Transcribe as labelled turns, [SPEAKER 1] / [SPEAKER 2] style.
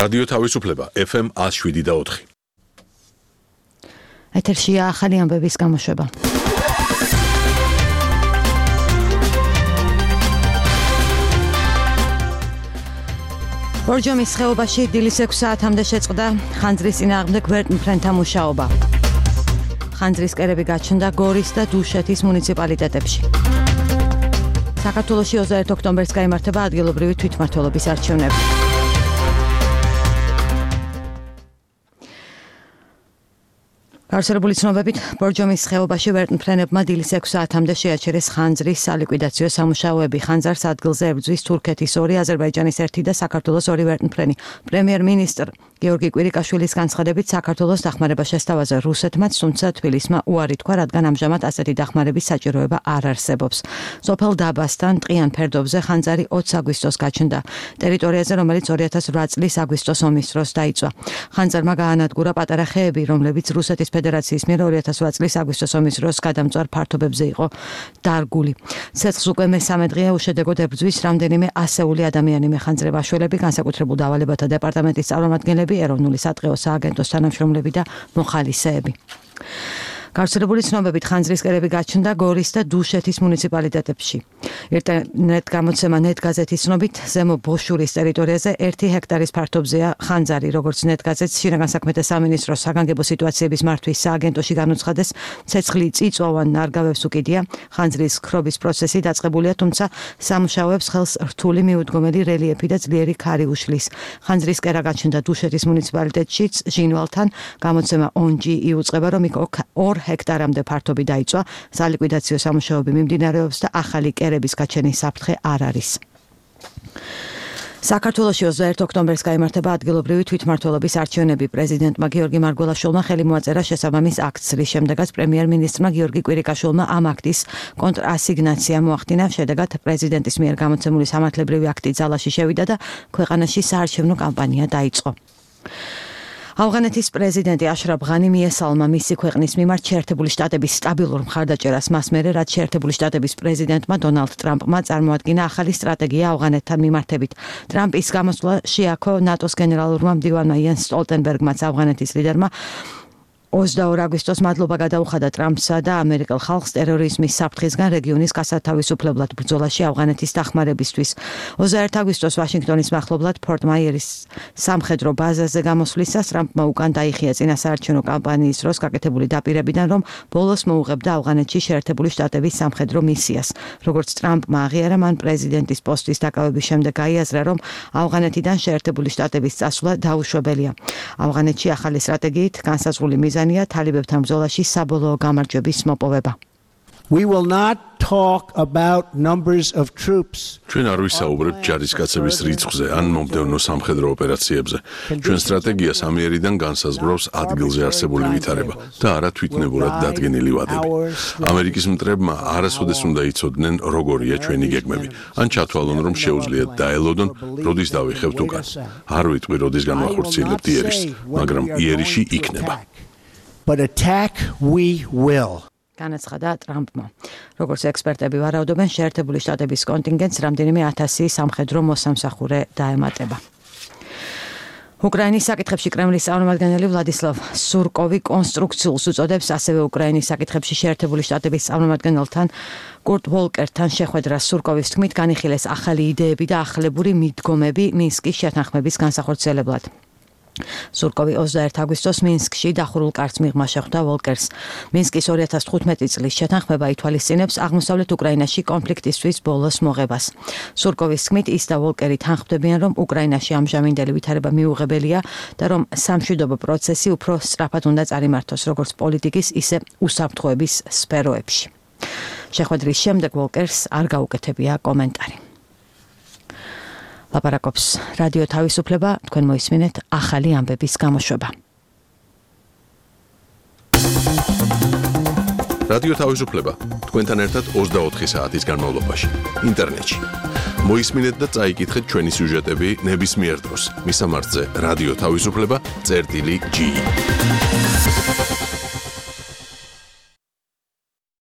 [SPEAKER 1] რადიო თავისუფლება FM 107.4.
[SPEAKER 2] ეთერშია ახალი ამბების გამოშვება. ბორჯომის ხეობაში დილის 6 საათამდე შეწყდა ხანძრის წინააღმდეგ გვერდმფრენთა მუშაობა. ხანძრის კერები გაჩნდა გორის და დუშეთის მუნიციპალიტეტებში. საქართველოში 21 ოქტომბერს გაიმართება ადგილობრივი თვითმმართველობის არჩევნები. გავრცელებული ცნობებით, ბორჯომის ხეობაში ვერტმფრენებმა დილის 6 საათამდე შეაჩერეს ხანძრის სალიკვიდაციო სამუშაოები. ხანძარს ადგილზე ებრძვის თურქეთის 2, აზერბაიჯანის 1 და საქართველოს 2 ვერტმფრენი. პრემიერ-მინისტრ გიორგი კვირიკაშვილის განცხადებით, საქართველოს დახმარება შესთავაზა რუსეთმაც, თუმცა თბილისმა უარი თქვა, რადგან ამჟამად ასეთი დახმარების საჭიროება არ არსებობს. სოფელ დაბასთან ტყიან ფერდობზე ხანძარი 20 აგვისტოს გაჩნდა. ტერიტორიაზე, რომელიც 2008 წლის აგვისტოს ომის დროს დაიწვა. ხანძარმა გაანადგურა პატარა ხეები, რომლებიც რუსეთის ფედერაციის მიერ 2008 წლის აგვისტოს ომის დროს გადამწვარ ფართობებზე იყო დარგული. ცეცხლს უკვე მესამე დღეა უშედეგოდ ებრძვის რამდენიმე ასეული ადამიანი. მეხანძრება შველები, განსაკუთრებულ დავალებათა დეპარტამენტის წარმომადგენლები, ეროვნული სატყეო სააგენტოს თანამშრომლები და მოხალისეები. გავრცელებული ცნობებით, ხანძრის კერები გაჩნდა გორის და დუშეთის მუნიციპალიტეტებში. ინტერნეტ გამოცემა ნეტგაზეთის ცნობით, ზემო ბოშურის ტერიტორიაზე 1 ჰექტარის ფართობზეა ხანძარი, როგორც ნეტგაზეთს შინაგან საქმეთა სამინისტროს საგანგებო სიტუაციების მართვის სააგენტოში განუცხადეს, ცეცხლი წიწვოვან ნარგავებს უკიდია. ხანძრის ქრობის პროცესი დაწყებულია, თუმცა სამუშაოებს ხელს რთული მიუდგომელი რელიეფი და ძლიერი ქარი უშლის. ხანძრის კერა გაჩნდა დუშეთის მუნიციპალიტეტშიც, ჟინვალთან. გამოცემა ONG იუწყება, რომ იქ 2 ჰექტარამდე ფართობი დაიწვა. სალიკვიდაციო სამუშაოები მიმდინარეობს და ახალი კერების გაჩენის საფრთხე არ არის. საქართველოში 21 ოქტომბერს გაიმართება ადგილობრივი თვითმმართველობის არჩევნები. პრეზიდენტმა გიორგი მარგველაშვილმა ხელი მოაწერა შესაბამის აქტს, რის შემდეგაც პრემიერ-მინისტრმა გიორგი კვირიკაშვილმა ამ აქტის კონტრასიგნაცია მოახდინა. შედეგად პრეზიდენტის მიერ გამოცემული სამართლებრივი აქტი ძალაში შევიდა და ქვეყანაში საარჩევნო კამპანია დაიწყო. ავღანეთის პრეზიდენტი აშრაფ ღანი მიესალმა მისი ქვეყნის მიმართ შეერთებული შტატების სტაბილურ მხარდაჭერას მას მერე, რაც შეერთებული შტატების პრეზიდენტმა დონალდ ტრამპმა წარმოადგინა ახალი სტრატეგია ავღანეთთან მიმართებით. ტრამპის გამოსვლა შეაქო ნატოს გენერალურმა მდივანმა იენს სტოლტენბერგმაც ავღანეთის ლიდერმა 22 აგვისტოს მადლობა გადაუხადა ტრამპსა და ამერიკელ ხალხს ტერორიზმის საფრთხისგან რეგიონის გასათავისუფლებლად ბრძოლაში ავღანეთის დახმარებისთვის. 21 აგვისტოს ვაშინგტონის მახლობლად ფორტ მაიერის სამხედრო ბაზაზე გამოსვლისას ტრამპმა უკან დაიხია წინასაარჩევნო კამპანიის დროს გაკეთებული დაპირებიდან, რომ ბოლოს მოუღებდა ავღანეთში შეერთებული შტატების სამხედრო მისიას. როგორც ტრამპმა აღიარა, მან პრეზიდენტის პოსტის დაკავების შემდეგ გაიაზრა, რომ ავღანეთიდან შეერთებული შტატების წასვლა დაუშვებელია. ავღანეთში ახალი სტრატეგიით განსაზღვრული მიზანი თალიბებთან ბრძოლაში საბოლოო გამარჯვების მოპოვება.
[SPEAKER 3] We will not talk about numbers of troops.
[SPEAKER 1] ჩვენ არ ვისაუბრებთ ჯარისკაცების რიცხვზე ან მომდევნო სამხედრო ოპერაციებზე. ჩვენ სტრატეგიას ამიერიდან განსაზღვრავს ადგილზე არსებული ვითარება და არა თვითნებურად დადგენილი ვადები. ამერიკის მტრებმა არასოდეს უნდა იცოდნენ, როგორია ჩვენი გეგმები. ან ჩათვალონ, რომ შეუძლიათ დაელოდონ, როდის დავიხევთ უკან. არ ვიტყვი, როდის განვახორციელებთ იერიშს, მაგრამ იერიში იქნება.
[SPEAKER 3] But attack we will.
[SPEAKER 2] განაცხადა ტრამპმა. როგორც ექსპერტები ვარაუდობენ, შეერთებული შტატების კონტინგენტს რამდენიმე 1000 სამხედრო მოსამსახურე დაემატება. უკრაინის საკითხებში კრემლის წარმომადგენელი ვლადისლავ სურკოვი კონსტრუქციულს უწოდებს ასევე უკრაინის საკითხებში შეერთებული შტატების წარმომადგენელთან კურტ ვოლკერთან შეხვედრას. სურკოვის თქმით, განიხილეს ახალი იდეები და ახლებური მიდგომები მინსკის შეთანხმების განსახორციელებლად. სურკოვი 21 აგვისტოს მინსკში დახურულ კარტს მიღმა შეხვდა ვოლკერს. მინსკის 2015 წლის შეთანხმება ითვალისწინებს აღმოსავლეთ უკრაინაში კონფლიქტისთვის ბოლოს მოღებას. სურკოვის თქმით, ის და ვოლკერი თანხმდებიან, რომ უკრაინაში ამჟამინდელი ვითარება მიუღებელია და რომ სამშვიდობო პროცესი უფრო სწრაფად უნდა წარიმართოს, როგორც პოლიტიკის, ისე უსაფრთხოების სფეროებში. შეხვედრის შემდეგ ვოლკერს არ გაუკეთებია კომენტარი. ლაპარაკობს რადიო თავისუფლება, თქვენ მოისმინეთ ახალი ამბების გამოშვება.
[SPEAKER 1] რადიო თავისუფლება, თქვენთან ერთად 24 საათის განმავლობაში, ინტერნეტში. მოისმინეთ და წაიკითხეთ ჩვენი სიუჟეტები ნებისმიერ დროს. მისამართზე რადიო თავისუფლება.ge